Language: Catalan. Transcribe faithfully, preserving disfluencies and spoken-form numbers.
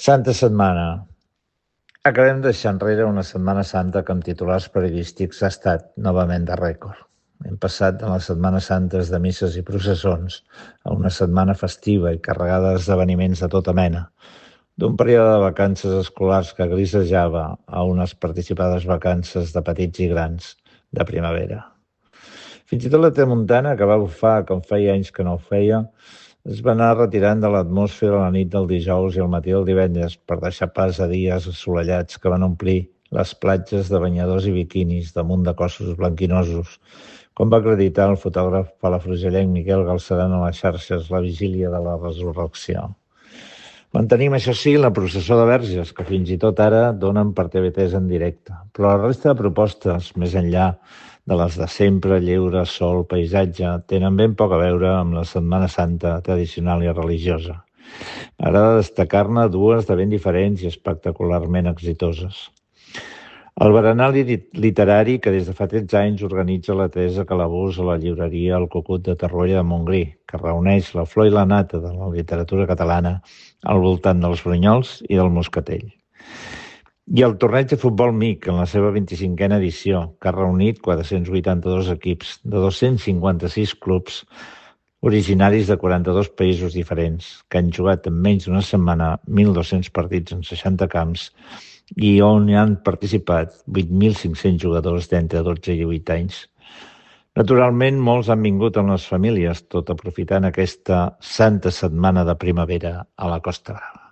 Santa Setmana. Acabem de deixar enrere una Setmana Santa que amb titulars periodístics ha estat novament de rècord. Hem passat de les Setmanes Santes de misses i processons a una setmana festiva i carregada d'esdeveniments de tota mena, d'un període de vacances escolars que grisejava a unes participades vacances de petits i grans de primavera. Fins i tot la tramuntana, que va bufar com feia anys que no ho feia, es va anar retirant de l'atmosfera la nit del dijous i el matí del divendres per deixar pas a dies assolellats que van omplir les platges de banyadors i biquinis damunt de cossos blanquinosos, com va acreditar el fotògraf palafrugellenc Miquel Galceran a les xarxes la vigília de la resurrecció. Mantenim, això sí, la processó de verges, que fins i tot ara donen per T V tres en directe, però la resta de propostes, més enllà de les de sempre, lleure, sol, paisatge, tenen ben poc a veure amb la Setmana Santa tradicional i religiosa. M'agrada destacar-ne dues de ben diferents i espectacularment exitoses. El berenar literari que des de fa tretze anys organitza la Teresa Calabús a la llibreria El Cucut de Torroella de Montgrí, que reuneix la flor i la nata de la literatura catalana al voltant dels brunyols i del moscatell. I el torneig de futbol M I C en la seva vint-i-cinquena edició, que ha reunit quatre-cents vuitanta-dos equips de dos-cents cinquanta-sis clubs originaris de quaranta-dos països diferents, que han jugat en menys d'una setmana mil dos-cents partits en seixanta camps i on hi han participat vuit mil cinc-cents jugadors d'entre dotze i divuit anys. Naturalment, molts han vingut amb les famílies, tot aprofitant aquesta santa setmana de primavera a la Costa Brava.